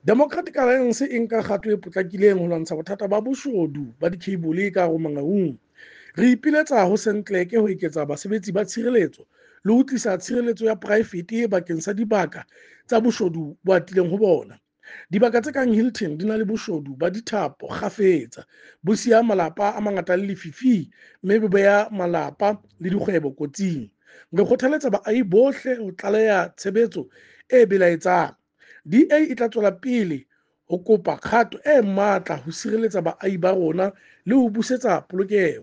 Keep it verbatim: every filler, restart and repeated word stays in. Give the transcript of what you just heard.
Democratic Alliance e nka kgato e potlakileng ho lwantsha bothata ba boshodu ba dikheibole ka hare ho Mangaung. Re ipiletsa ho Sanclec ho eketsa basebetsi ba tshireletso le ho tlisa tshireletso ya poraefete bakeng sa dibaka tsa boshodu bo atileng ho bona. Dibaka tse kang Hilton di na le boshodu ba dithapo kgafetsa, bo siya malapa a mangata a le lefifing mme bo beha malapa le dikgwebo kotsing. Re kgothaletsa baahi bohle ho tlaleha tshebetso e belaetsang. D A e tla tswela pele ho kopa kgato e matla ho sireletsa baahi ba rona le ho busetsa polokeho.